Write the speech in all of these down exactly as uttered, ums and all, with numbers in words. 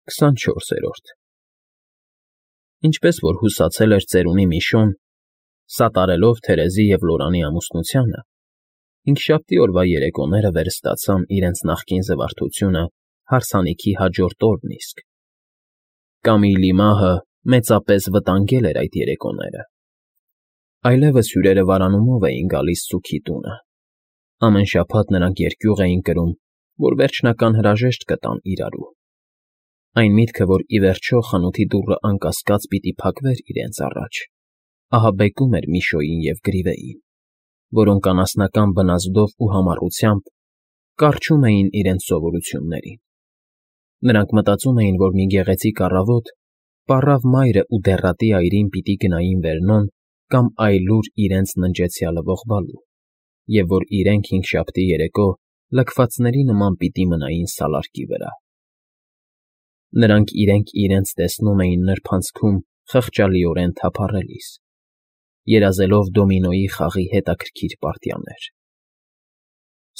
քսանչորսերորդ Ինչպես որ հուսացել էր ծերունի Միշոն, սատարելով Թերեզի և Լորանի ամուսնությանը, հինգշաբթի օրվա երեկոները վերստացան իրենց նախկին զվարթությունը հարսանիքի հաջորդ օրն իսկ. Կամիլի մահը մեծապես վտանգել էր այդ երեկոները. այլևս հյուրերը վարանումով էին գալիս սուգի տունը, ամեն շաբաթ նրանք երկյուղ էին կրում, որ վերջնական հրաժեշտ կտան իրարու, այն միտքը, որ ի վերջո խանութի դուռը անկասկած պիտի փակվեր իրենց առաջ, ահաբեկում էր Միշոյին և Գրիվեին, որոնք անասնական բնազդով ու համառությամբ կառչում էին իրենց սովորություններին. նրանք մտածում էին, որ մի գեղեցիկ առավոտ պառավ մայրը ու դեռատի այրին պիտի գնային Վերնոն կամ այլուր իրենց ննջեցյալը ողբալու, և որ իրենք հինգշաբթի երեկո լքվածների նման պիտի մնային սալարկի վրա. Նրանք իրենք իրենց տեսնում էին նրբանցքում խղճալիորեն թափառելիս, երազելով դոմինոյի խաղի հետաքրքիր պարտիաներ.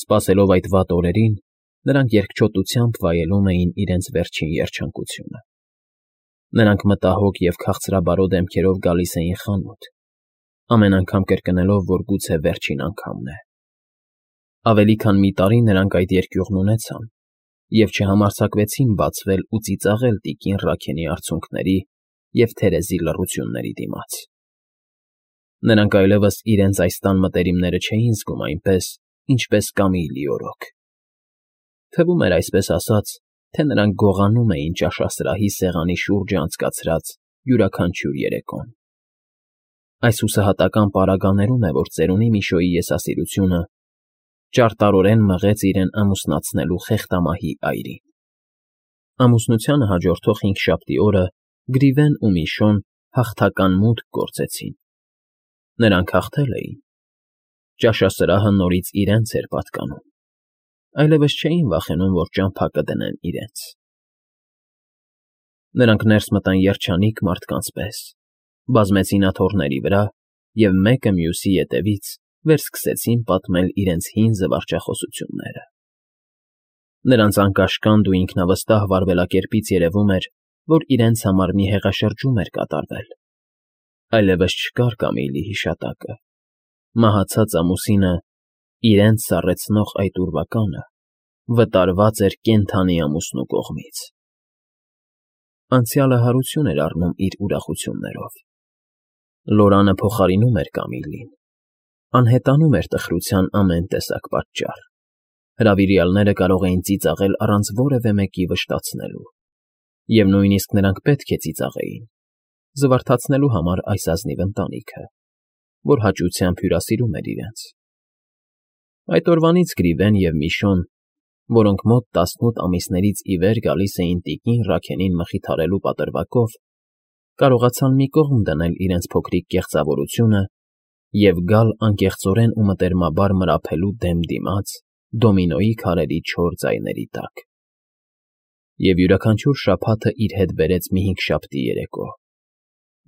Սպասելով այդ վատ օրերին, նրանք երկչոտությամբ վայելում էին իրենց վերջին երջանկությունը. նրանք մտահոգ և քաղցրաբարո դեմքերով գալիս էին խանութ, ամեն անգամ կրկնելով, որ գուցե վերջին անգամն է. Ավելի քան մի տարի նրանք այդ երկյուղն ունեցան և չհամարձակվեցին բացվել ու ծիծաղել տիկին Ռաքենի արցունքների և Թերեզի լռությունների դիմաց. նրանք այլևս իրենց այս տան մտերիմները չէին զգում այնպես, ինչպես Կամիլի օրոք. թվում էր, այսպես ասած, թե նրանք գողանում էին ճաշասրահի սեղանի շուրջը անցկացրած յուրաքանչյուր երեկոն. Այս հուսահատական պարագաներում է, որ ծերունի Միշոյի եսասիրությունը ճարտարորեն մղեց իրեն ամուսնացնելու խեղդամահի այրին. Ամուսնությանը հաջորդող հինգշաբթի օրը Գրիվեն ու Միշոն հաղթական մուտք գործեցին. նրանք հաղթել էին. ճաշասրահը նորից իրենց էր պատկանում, այլևս չէին վախենում, որ ճամփա կդնեն իրենց. Նրանք ներս մտան երջանիկ մարդկանց պես, բազմեցին աթոռների վրա և մեկը մյուսի ետևից վերսկսեցին պատմել իրենց հին զվարճախոսությունները. Նրանց անկաշկանդ ու ինքնավստահ վարվելակերպից երևում էր, որ իրենց համար մի հեղաշրջում էր կատարվել. այլևս չկար Կամիլի հիշատակը, մահացած ամուսինը, իրենց սառեցնող այդ ուրվականը, վտարված էր կենդանի ամուսնու կողմից. Անցյալը հարություն էր առնում իր ուրախություններով. Լորանը փոխարինում էր Կամիլին, անհետանում էր տխրության ամեն տեսակ պատճառ, հրավիրյալները կարող էին ծիծաղել առանց որևէ մեկի վշտացնելու, և նույնիսկ նրանք պետք է ծիծաղեին, զվարթացնելու համար այս ազնիվ ընտանիքը, որ հաճությամբ հյուրասիրում էր իրենց. Այդ օրվանից Գրիվեն և Միշոն, որոնք մոտ տասնութ ամիսներից ի վեր գալիս էին տիկին Ռաքենին մխիթարելու պատրվակով, կարողացան մի կողմ դնել իրենց փոքրիկ կեղծավորությունը և գալ անկեղծորեն ու մտերմաբար մրափելու դեմ դիմաց դոմինոյի քարերի չոր ձայների տակ. Եվ յուրաքանչյուր շաբաթը իր հետ բերեց մի հինգշաբթի երեկո,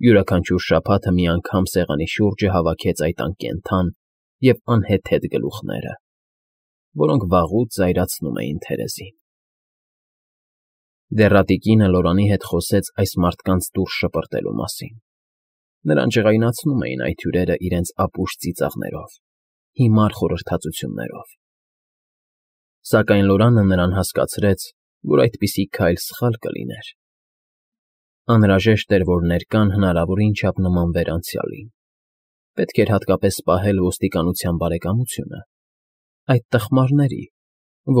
յուրաքանչյուր շաբաթը մի անգամ սեղանի շուրջը հավաքեց այդ անկենդան և անհեթեթ գլուխները, որոնք վաղուց զայրացնում էին Թերեզին. Դեռատի կինը Լորանի հետ խոսեց այս մարդկանց դուրս շպրտելու մասին. նրան ջղայնացնում էին այդ հյուրերը իրենց ապուշ ծիծաղներով, հիմար խորհրդածություններով. Սակայն Լորանը նրան հասկացրեց, որ այդպիսի քայլ սխալ կլիներ. անհրաժեշտ էր, որ ներկան հնարավորին չափ նմանվեր անցյալին, պետք էր հատկապես պահել ոստիկանության բարեկամությունը, այդ տխմարների,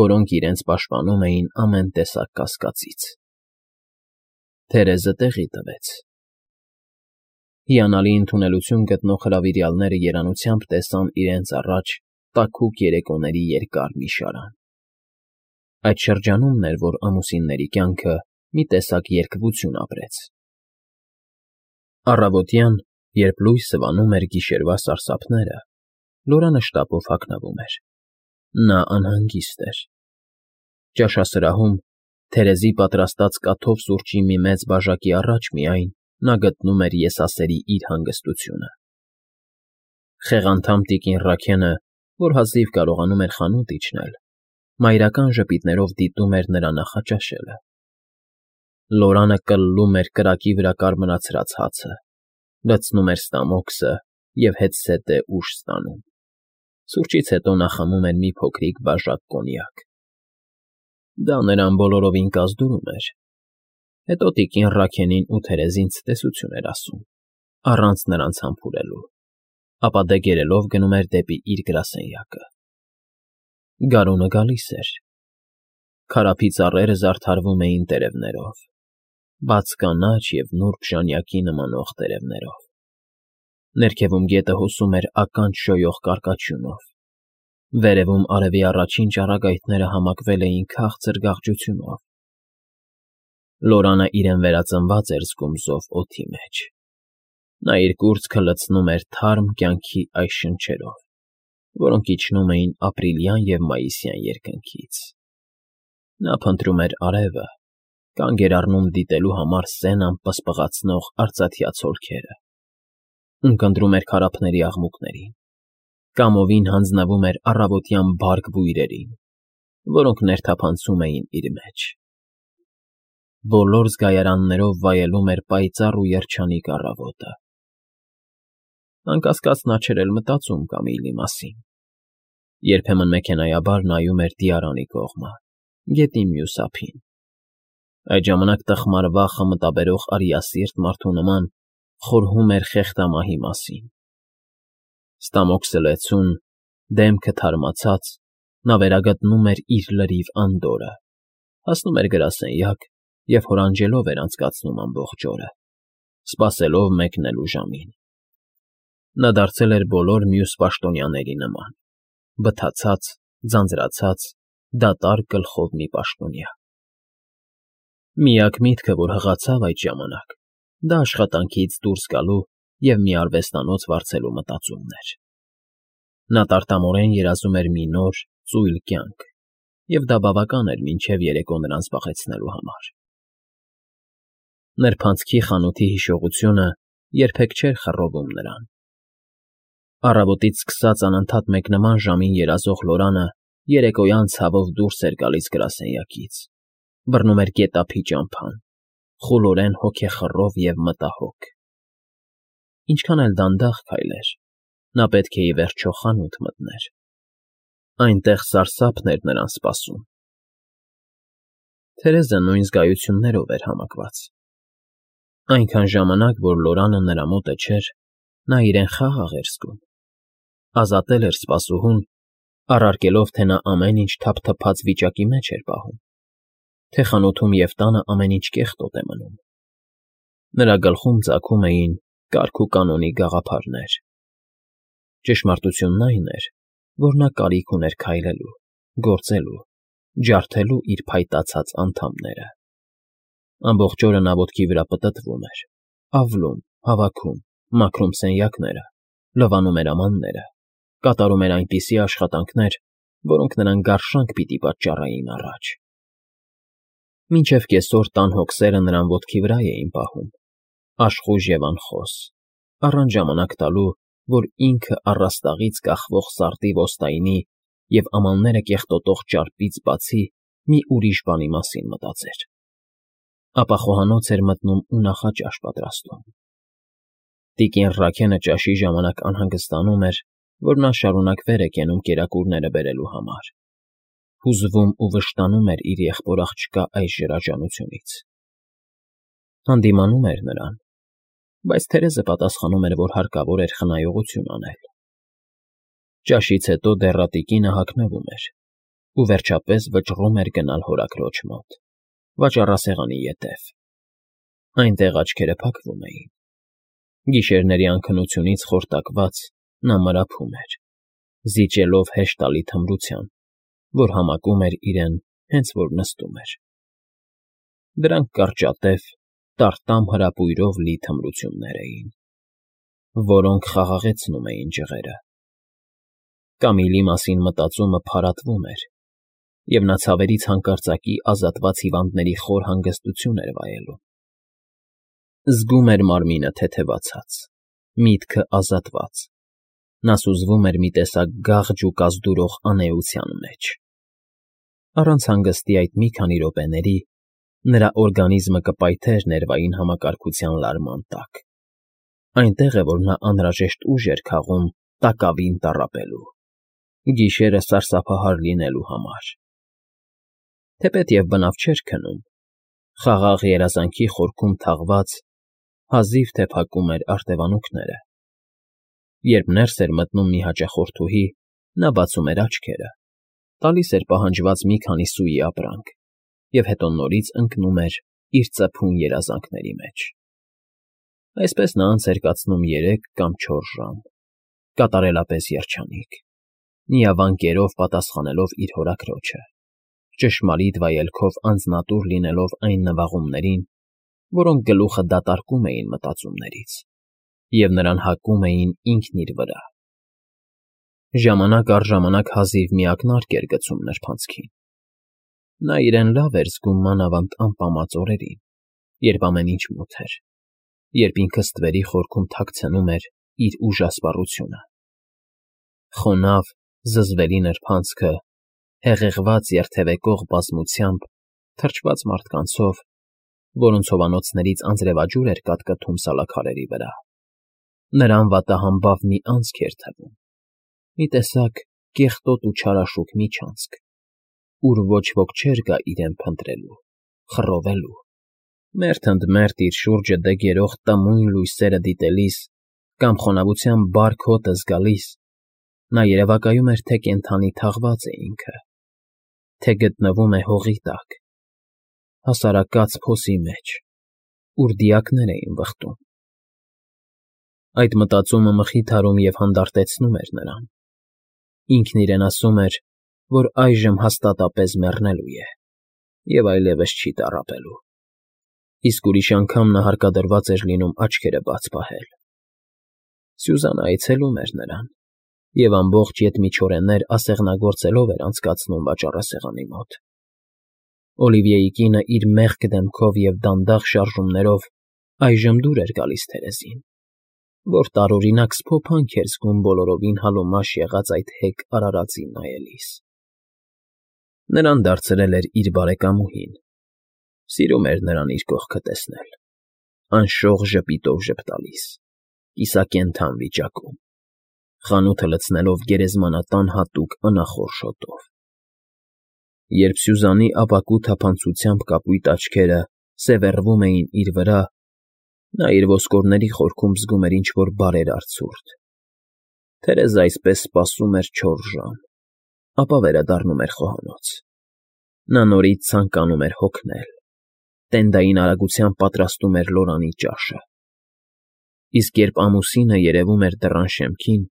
որոնք իրենց պաշտպանում էին ամեն տեսակ կասկածից. Թերեզը տեղի տվեց. Հիանալի ընդունելություն գտնող հրավիրյալները երանությամբ տեսան իրենց առաջ տաքուկ երեկոների երկար մի շարան. Այդ շրջանումն էր, որ ամուսինների կյանքը մի տեսակ երկվություն ապրեց. Առավոտյան, երբ լույսը վանում էր գիշերվա սարսափները, Լորանը շտապով հագնվում էր. նա անհանգիստ էր. ճաշասրահում, Թերեզի պատրաստած կաթով սուրճի մի մեծ բաժակի առաջ միայն նա գտնում էր եսասերի իր հանգստությունը. խեղանդամ տիկին Ռաքենը, որ հազիվ կարողանում էր խանութ իջնել, մայրական ժպիտներով դիտում էր նրա նախաճաշելը. Լորանը կլլում էր կրակի վրա կարմրացրած հացը, լցնում էր ստամոքսը և հետզհետե ուշ ստանում. սուրճից հետո նա խմում էր մի փոքրիկ բաժակ կոնյակ. դա նրան բոլորովին կազդուրում էր, հետո տիկին Ռաքենին ու Թերեզին ցտեսություն էր ասում, առանց նրանց համբուրելու, ապա դե գերելով գնում էր դեպի իր գրասենյակը. գարունը գալիս էր, քարափի ծառերը զարդարվում էին տերևներով, բաց կանաչ և նուրբ ժանյակի նմանող տերևներով, ներքևում գետը հոսում էր ականջ շոյող կարկաչյունով, վերևում արևի առաջին ճառագայթները համակվել էին քաղցր գաղջությունով. Լորանը իրեն վերածնված էր զգում զով օդի մեջ, նա իր կուրծքը լցնում էր թարմ կյանքի այս շնչերով, որոնք իջնում էին ապրիլյան և մայիսյան երկնքից. նա փնտրում էր արևը, կանգ էր առնում դիտելու համար սենան պսպղացնող արծաթյա ցոլքերը, ունկնդրում էր քարափների աղմուկներին, կամովին հանձնվում էր առավոտյան բարդ բույրերին, որոնք ներթափանցում էին իր մեջ. բոլոր զգայարաններով վայելում էր պայծառ ու երջանիկ առավոտը. անկասկած նա չէր էլ մտածում Կամիլի մասին, երբեմն մեքենայաբար նայում էր Դիարանի կողմը, գետի մյուս ափին, այդ ժամանակ տխմար վախը մտաբերող արիասիրտ մարդու նման խորհում էր խեղդամահի մասին. ստամոքսը լեցուն, դեմքը թարմացած, նա վերագտնում էր իր լրիվ անդորրը, հասնում էր գրասենյակ և հորանջելով էր անցկացնում ամբողջ օրը, սպասելով մեկնելու ժամին. նա դարձել էր բոլոր մյուս պաշտոնյաների նման, բթացած, ձանձրացած, դատարկ գլխով մի պաշտոնյա. միակ միտքը, որ հղացավ այդ ժամանակ, դա աշխատանքից դուրս գալու և մի արվեստանոց վարձելու մտածումն էր. նա տարտամորեն երազում էր մի նոր, ծույլ կյանք, և դա բավական էր մինչև երեկո նրան զբաղեցնելու համար. նրբանցքի խանութի հիշողությունը երբեք չէր խռովում նրան. առավոտից սկսած անընդհատ մեկնման ժամին երազող Լորանը երեկոյան ցավով դուրս էր գալիս գրասենյակից, բռնում էր գետափի ճամփան, խուլորեն հոգեխռով և մտահոգ. ինչքան էլ դանդաղ քայլեր, նա պետք է ի վերջո խանութ մտներ, այնտեղ սարսափն էր նրան սպասում. Թերեզը նույն զգայություններով էր համակված. այնքան ժամանակ, որ Լորանը նրա մոտը չէր, նա իրեն խաղաղ էր զգում, ազատել էր սպասուհուն, առարկելով, թե նա ամեն ինչ թափթփած վիճակի մեջ էր պահում, թե խանութում և տանը ամեն ինչ կեղտոտ է մնում. նրա գլխում ծագում էին կարգ ու կանոնի գաղափարներ. ճշմարտությունն այն էր, որ նա կարիք ուներ քայլելու, գործելու, ջարդելու իր փայտացած անդամները. ամբողջ օրը նա ոտքի վրա պտտվում էր, ավլում, հավաքում, մաքրում սենյակները, լվանում էր ամանները, կատարում էր այնպիսի աշխատանքներ, որոնք նրան գարշանք պիտի պատճառեին առաջ. մինչև կեսօր տան հոգսերը նրան ոտքի վրա էին պահում, աշխույժ և անխոս, առանց ժամանակ տալու, որ ինքը առաստաղից կախվող սարդի ոստայնի և ամանները կեղտոտող ճարպից բացի մի ուրիշ բանի մասին մտածեր. ապա խոհանոց էր մտնում ու նախաճաշ պատրաստում. տիկին Ռաքենը ճաշի ժամանակ անհանգստանում էր, որ նա շարունակ վեր է կենում կերակուրները բերելու համար, հուզվում ու վշտանում էր իր եղբոր աղջկա այս ժրաժանությունից. հանդիմանում էր նրան, բայց Թերեզը պատասխանում էր, որ հարկավոր էր խնայողություն անել. ճաշից հետո դեռատիկինը հագնվում էր ու վերջապես վճռում էր գնալ հորաքրոջ մոտ, վաճառասեղանի ետև. այնտեղ աչքերը փակվում էին, գիշերների անքնությունից խորտակված նա մրափում էր, զիջելով հեշտալի թմրության, որ համակում էր իրեն հենց որ նստում էր. դրանք կարճատև, տարտամ հրապույրով լի թմրություններ էին, որոնք խաղաղեցնում էին ջղերը. Կամիլի մասին մտածումը փարատվում էր, և նա ցավերից հանկարծակի ազատված հիվանդների խոր հանգստություն էր վայելում. զգում էր մարմինը թեթևացած, միտքը ազատված, նա սուզվում էր մի տեսակ գաղջ ու կազդուրող անէության մեջ. առանց հանգստի այդ մի քանի րոպեների Նրա օրգանիզմը կպայթեր ներվային համակարգության լարման տակ, այնտեղ է, որ նա անհրաժեշտ ուժ էր քաղում տակավին տառապելու, գիշերը սարսափահար լինելու համար։ Թեպետև բնավ չէր քնում, խաղաղ երազանքի խորքում թաղված, հազիվ թե փակում էր արտևանունքները։ Երբ ներս էր մտնում մի հաճախորդուհի, նա բացում էր աչքերը, տալիս էր պահանջված մի քանի սուի ապրանք և հետո նորից ընկնում էր իր ծփուն երազանքների մեջ։ Այսպես նա անց էր կացնում երեք կամ չորս ժամ, կատարելապես երջանիկ, նիավան կերով պատասխանելով իր հորաքրոջը, ճշմարիտ վայելքով անձնատուր լինելով այն նվաղումներին, որոնք գլուխը դատարկում էին մտածումներից և նրան հակում էին ինքն իր վրա։ Ժամանակ առ ժամանակ հազիվ մի ակնարկ էր գցում նրբանցքին։ Նա իրեն լավ էր զգում մանավանդ անպամած օրերին, երբ ամեն ինչ մութ էր, երբ ինքը ստվերի խորքում թաքցնում էր իր ուժասպառությունը։ Խոնավ, զզվելի նրբանցքը, հեղեղված երթևեկող բազմությամբ, թրջված մարդկանցով, որոնց հովանոցներից անձրևաջուր էր կատկթում սալաքարերի վրա, նրան վատահամբավ մի անցք էր թվում, մի տեսակ կեղտոտ ու չարաշուք միջանցք, ուր ոչ ոք չէր գա իրեն փնտրելու, խռովելու, մերթ ընդ մերթ իր շուրջը դեգերող տմույն լույսերը դիտելիս կամ խոնավությամբ բարք հոտը զգալիս, նա երևակայում էր, թե կենդանի թաղված է ինքը, թե գտնվում է հողի տակ, հասարակած փոսի մեջ, ուր դիակներ էին վխտում։ Այդ մտածումը մխիթարում և հանդարտեցնում էր նրան։ Ինքն իրեն ասում էր, որ այժմ հաստատապես մեռնելու է և այլևս չի տառապելու, իսկ ուրիշ անգամ նա հարկադրված էր լինում աչքերը բաց պահել։ Սյուզանն այցելում էր նրան և ամբողջ ետմիջօրեներ ասեղնագործելով էր անցկացնում վաճառասեղանի մոտ։ Օլիվիեի կինը իր մեղք դեմքով և դանդաղ շարժումներով այժմ դուր էր գալիս Թերեզին, որ տարօրինակ սփոփանք էր զգում բոլորովին հալոմաշ եղած այդ հեկ արարածին նայելիս։ Նրան դարձրել էր իր բարեկամուհին, սիրում էր նրան իր կողքը տեսնել, անշող ժպիտով ժպտալիս, կիսակենդան վիճակում, խանութը լցնելով գերեզմանատան հատուկ անախորժ հոտով։ Երբ Սյուզանի ապակու թափանցությամբ կապույտ աչքերը սևեռվում էին իր վրա, նա իր ոսկորների խորքում զգում էր ինչ֊որ բարերար ցուրտ։ Թերեզը այսպես սպասում էր չորս ժամ, ապա վերադառնում էր խոհանոց։ Նա նորից ցանկանում էր հոգնել, տենդային արագությամբ պատրաստում էր լորանի ճաշը։ Իսկ երբ ամուսինը երևում էր դռան շեմքին,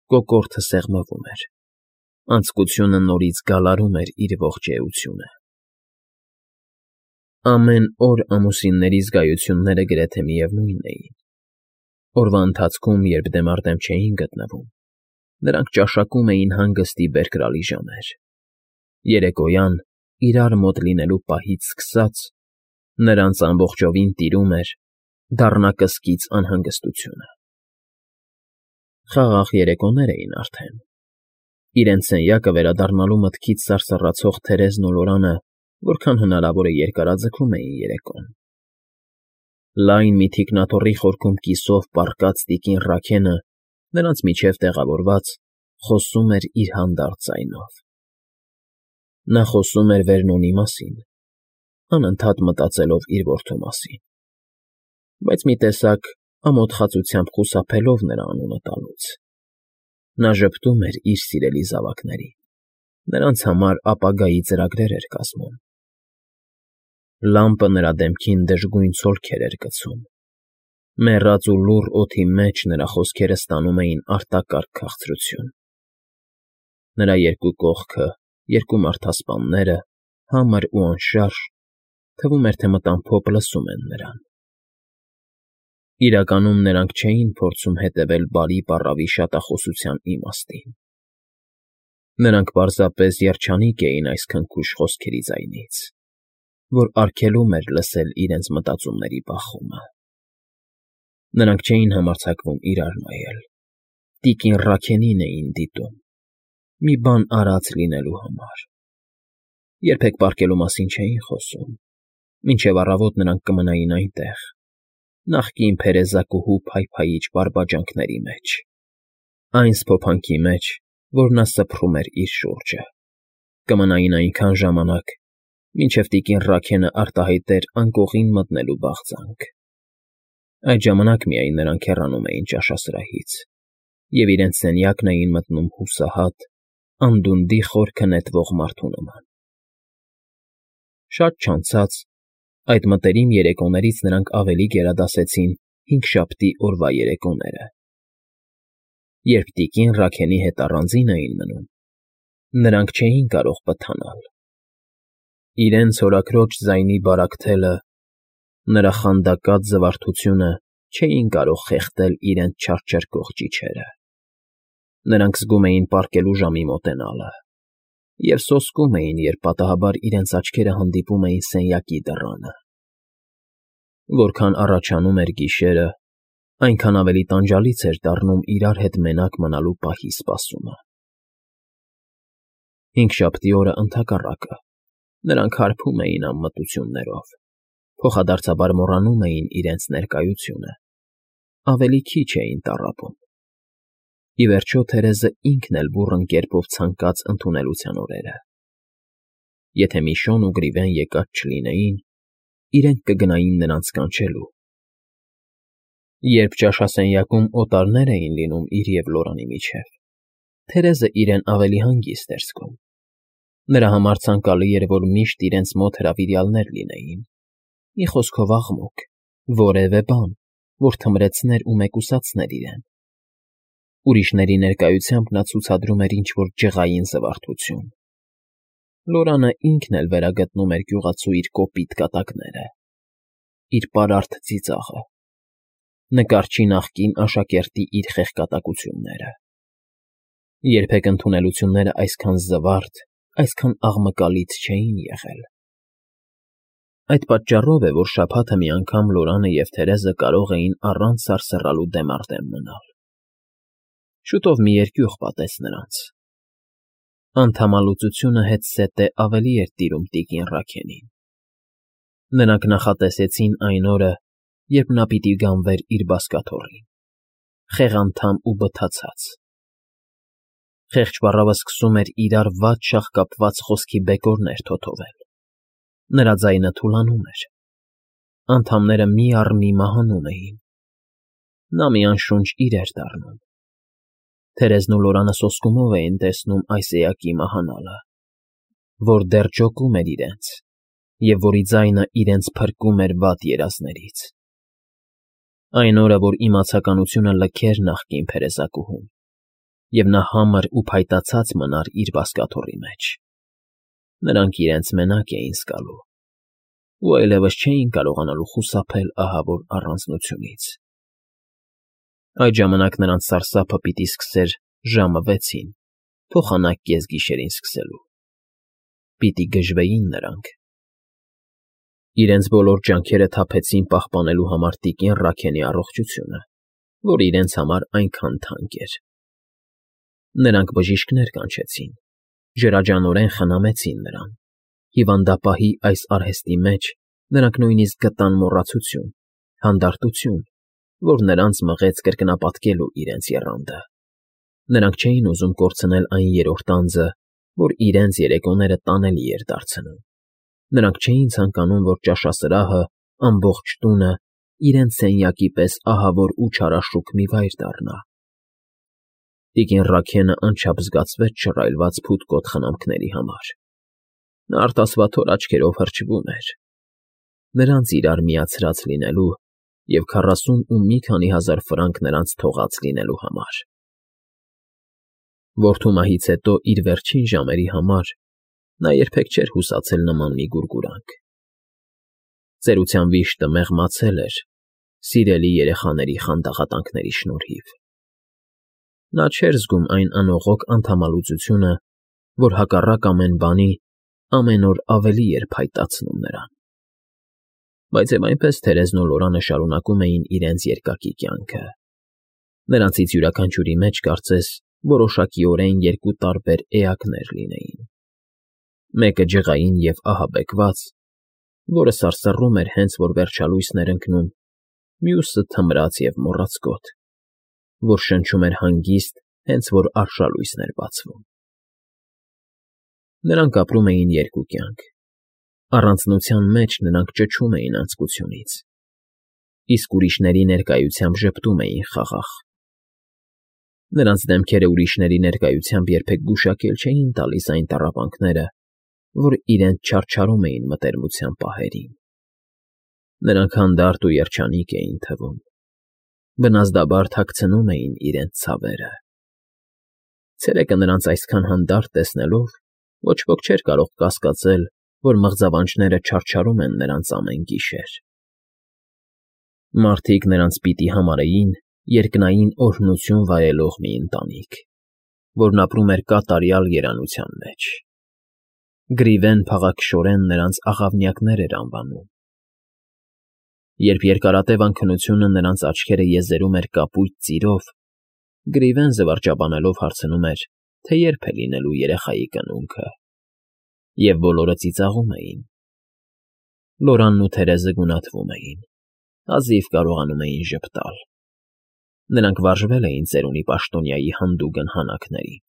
կոկորդը սեղմվում էր, անձկությունը նորից գալարում էր իր ողջ էությունը։ Ամեն օր ամուսինների զգայությունները գրեթե միևնույնն էին։ Օրվա ընթացքում, երբ դեմ առ դեմ չէին գտնվում, նրանք ճաշակում էին հանգստի բերկրալի ժամեր։ Երեկոյան, իրար մոտ լինելու պահից սկսած, նրանց ամբողջովին տիրում էր դառնակսկիծ անհանգստությունը։ Խաղաղ երեկոներ էին արդեն։ Իրենց սենյակը վերադառնալու մտքից սարսռացող Թերեզն ու Լորանը որքան հնարավոր է երկարաձգում էին երեկոն։ Լայն մի թիկնաթոռի խորքում կիսով պառկած տիկին Ռաքենը, նրանց միջև տեղավորված, խոսում էր իր հանդարտ ձայնով։ Նա խոսում էր Վերնոնի մասին, անընդհատ մտածելով իր որդու մասին, բայց մի տեսակ ամոթխածությամբ խուսափելով նրա անունը տալուց։ Նա ժպտում էր իր սիրելի զավակներին, նրանց համար ապագայի ծրագրեր էր կազմում։ Լամպը նրա դեմքին դժգույն ցոլքեր էր գցում։ Մեռած ու լուռ օդի մեջ նրա խոսքերը ստանում էին արտակարգ քաղցրություն։ Նրա երկու կողքը, երկու մարդասպանները, համր ու անշարժ, թվում էր, թե մտամփոփ լսում են նրան։ Իրականում նրանք չէին փորձում հետևել բարի բառավի շատախոսության իմաստին։ Նրանք պարզապես երջանիկ էին այս քնքուշ խոսքերի ձայնից, որ արգելում էր լսել իրենց մտածումների բախումը։ Նրանք չէին համարձակվում իրար նայել, տիկին Ռաքենին էին դիտում, մի բան արած լինելու համար։ Երբեք պառկելու մասին չէին խոսում, Մինչև առավոտ նրանք կմնային այնտեղ, նախկին փերեզակուհու փայփայիչ բարբաջանքների մեջ, այն սփոփանքի մեջ, որ նա սփռում էր իր շուրջը, կմնային այնքան ժամանակ, մինչև տիկին Ռաքենը արտահայտեր անկողին մտնելու բաղձանք. այդ ժամանակ միայն նրանք հեռանում էին ճաշասրահից և իրենց սենյակն էին մտնում հուսահատ, անդունդի խորքը նետվող մարդու նման։ Շատ չանցած, այդ մտերիմ երեկոներից նրանք ավելի գերադասեցին հինգշաբթի օրվա երեկոները, երբ տիկին Ռաքելի հետ առանձին էին մնում, նրանք չէին կարող պթանալ. իրենց հորաքրոջ ձայնի բարակթելը, նրա խանդակած զվարթությունը չէին կարող խեղդել իրենց չարչարկող ճիչերը, նրանք զգում էին պառկելու ժամի մոտենալը և սոսկում էին, երբ պատահաբար իրենց աչքերը հանդիպում էին սենյակի դռանը։ Որքան առաջանում էր գիշերը, այնքան ավելի տանջալից էր դառնում իրար հետ մենակ մնալու պահի սպասումը։ Հինգշաբթի օրը ընդհակառակը, նրանք հարբում էին անմտություններով, փոխադարձաբար մոռանում էին իրենց ներկայությունը, ավելի քիչ էին տառապում։ Ի վերջո, Թերեզը ինքն էլ բուռն կերպով ցանկաց ընդունելության օրերը։ Եթե Միշոն ու Գրիվեն եկած չլինեին, իրենք կգնային նրանց կանչելու։ Երբ ճաշասենյակում օտարներ էին լինում իր և Լորանի միջև, Թերեզը իրեն ավելի հանգիստ էր զգում։ Նրա համար ցանկալի էր, որ միշտ իրենց մոտ հրավիրյալներ լինեին, մի խոսքով աղմուկ, որևէ բան, որ թմրեցներ ու մեկուսացներ իրեն։ Ուրիշների ներկայությամբ նա ցուցադրում էր ինչ֊որ ջղային զվարթություն։ Լորանը ինքն էլ վերագտնում էր գյուղացու իր կոպիտ կատակները, իր պարարտ ծիծաղը, նկարչի նախկին աշակերտի իր խեղկատակությունները։ Երբեք ընդունելությունները այսքան զվարթ, այսքան աղմկալից չէին եղել։ Այդ պատճառով է, որ շաբաթը մի անգամ Լորանը և Թերեզը կարող էին առանց սարսռալու դեմ առ դեմ մնալ։ Շուտով մի երկյուղ պատեց նրանց։ Անդամալուծությունը հետզհետե ավելի էր տիրում տիկին Ռաքենին։ Նրանք նախատեսեցին այն օրը, երբ նա պիտի գանվեր իր բազկաթոռին, խեղանդամ ու բթացած։ Խեղճ պառավը սկսում էր իրար վատ շաղկապված խոսքի բեկորներ թոթովել։ Նրա ձայնը թուլանում էր, անդամները մի առ մի մահանում էին։ Նա մի անշունչ իր էր դառնում։ Թերեզն ու Լորանը սոսկումով էին տեսնում այս էակի մահանալը, որ դեռ ջոկում էր իրենց և որի ձայնը իրենց փրկում էր վատ երազներից։ Այն օրը, որ իմացականությունը լքեր նախկին փերեզակուհուն, և նա համր ու փայտացած մնար իր բազկաթոռի մեջ, նրանք իրենց մենակ էին զգալու ու այլևս չէին կարողանալու խուսափել ահավոր առանձնությունից։ Այդ ժամանակ նրանց սարսափը պիտի սկսեր ժամը վեցին, փոխանակ կեսգիշերին սկսելու։ Պիտի գժվեին նրանք։ Իրենց բոլոր ջանքերը թափեցին պահպանելու համար տիկին Ռաքենի առողջությունը, որ իրենց համար այնքան թանկ էր։ Նրանք բժիշկներ կանչեցին, ջրաջանորեն խնամեցին նրան։ Հիվանդապահի այս արհեստի մեջ նրանք նույնիսկ գտան մոռացություն, հանդարտություն, որ նրանց մղեց կրկնապատկելու իրենց եռանդը։ Նրանք չէին ուզում կորցնել այն երրորդ անձը, որ իրենց երեկոները տանելի էր դարձնում։ Նրանք չէին ցանկանում, որ ճաշասրահը, ամբողջ տունը իրենց սենյակի պես ահավոր ու չարաշուք մի վայր դառնա։ Տիկին Ռաքենը անչափ զգացվեց շռայլված փութկոտ խնամքների համար։ Նա արտասվաթոր աչքերով հրճվում էր, նրանց իրար միացրած լինելու և քառասուն ու մի քանի հազար ֆրանկ նրանց թողած լինելու համար։ Որդու մահից հետո իր վերջին ժամերի համար նա երբեք չէր հուսացել նման մի գուրգուրանք։ Ծերության վիշտը մեղմացել էր սիրելի երեխաների խանդաղատանքների շնորհիվ։ Նա չէր զգում այն անողոք անդամալուծությունը, որ հակառակ ամեն բանի ամեն օր ավելի էր փայտացնում նրան։ Բայց և այնպես Թերեզն ու Լորանը շարունակում էին իրենց երկակի կյանքը։ Նրանցից յուրաքանչյուրի մեջ կարծես որոշակիորեն երկու տարբեր էակներ լինեին։ Մեկը ջղային և ահաբեկված, որը սարսռում էր հենց որ վերջալույսն էր ընկնում, մյուսը թմրած և մոռացկոտ, որ շնչում էր հանգիստ, հենց որ արշալույսն էր բացվում։ Նրանք ապրում էին երկու կյանք. առանձնության մեջ նրանք ճչում էին անձկությունից, իսկ ուրիշների ներկայությամբ ժպտում էին խաղաղ։ Նրանց դեմքերը ուրիշների ներկայությամբ երբեք գուշակել չէին տալիս այն տառապանքները, որ իրենց չարչարում էին մտերմության պահերին։ Նրանք հանդարտ ու երջանիկ էին թվում, բնազդաբար թաքցնում էին իրենց ցավերը։ Ցերեկը նրանց այսքան հանդարտ տեսնելով, ոչ ոք չէր կարող կասկածել, որ մղձավանջները չարչարում են նրանց ամեն գիշեր։ Մարդիկ նրանց պիտի համարեին երկնային օրհնություն վայելող մի ընտանիք, որն ապրում էր կատարյալ երանության մեջ։ Գրիվեն փաղաքշորեն նրանց աղավնյակներ էր անվանում։ Երբ երկարատև անքնությունը նրանց աչքերը եզերում էր կապույտ ծիրով, Գրիվեն զվարճաբանելով հարցնում էր, թե երբ է լինելու երեխայի կնունքը, և բոլորը ծիծաղում էին։ Լորանն ու Թերեզը գունատվում էին, հազիվ կարողանում էին ժպտալ։ Նրանք վարժվել էին ծերունի պաշտոնյայի հանդուգն հանակներին։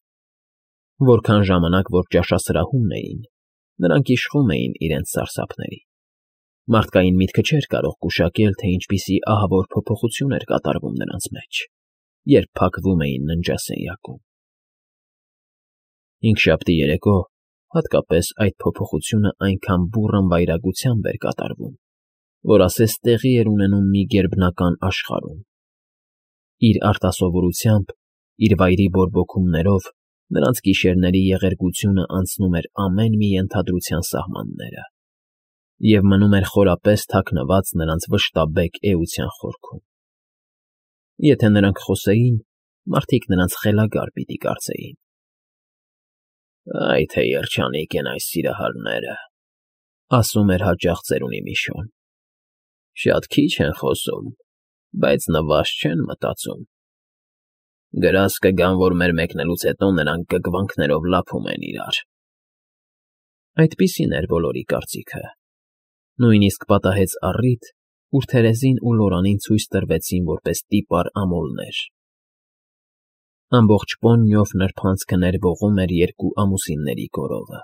Որքան ժամանակ որ ճաշասրահումն էին, նրանք իշխում էին իրենց սարսափների։ Մարդկային միտքը չէր կարող գուշակել, թե ինչպիսի ահավոր փոփոխություն էր կատարվում նրանց մեջ, երբ փակվում էին ննջասենյակում։ Հինգշաբթի երեկո հատկապես այդ փոփոխությունը այնքան բուռն վայրագությամբ էր կատարվում, որ ասես տեղի էր ունենում մի գերբնական աշխարհում։ Իր արտասովորությամբ, իր վայրի բորբոքումներով նրանց գիշերների եղերգությունը անցնում էր ամեն մի ենթադրության սահմանները և մնում էր խորապես թաքնված նրանց վշտաբեկ էության խորքում։ Եթե նրանք խոսեին, մարդիկ նրանց խելագար պիտի կարծեին։ «Այ թե երջանիկ են այս սիրահարները», ասում էր հաճախ ծերունի Միշոն։ «Շատ քիչ են խոսում, բայց նվազ չեն մտածում։ Գրազ կգան, որ մեր մեկնելուց հետո նրանք կգվանքներով լափում են իրար»։ Այդպիսին էր բոլորի կարծիքը։ Նույնիսկ պատահեց առիթ, ուր Թերեզին ու Լորանին ցույց տրվեցին որպես տիպար ամոլներ։ Ամբողջ Պոնիով նրբանցքը ներվողում էր երկու ամուսինների կորովը,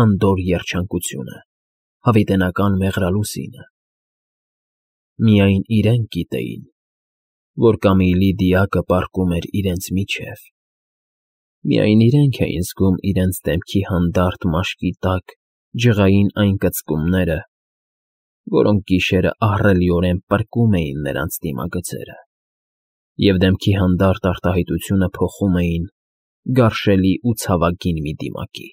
անդորր երջանկությունը, հավիտենական մեղրալուսինը։ Միայն իրենք գիտեին, որ Կամիլի դիակը պառկում էր իրենց միջև։ Միայն իրենք էին զգում իրենց դեմքի հանդարտ մաշկի տակ ջղային այն կծկումները, որոնք գիշերը ահռելիորեն պրկում էին նրանց դիմագծերը, և դեմքի հանդարտ արտահայտությունը փոխում էին գարշելի ու ցավագին մի դիմակի։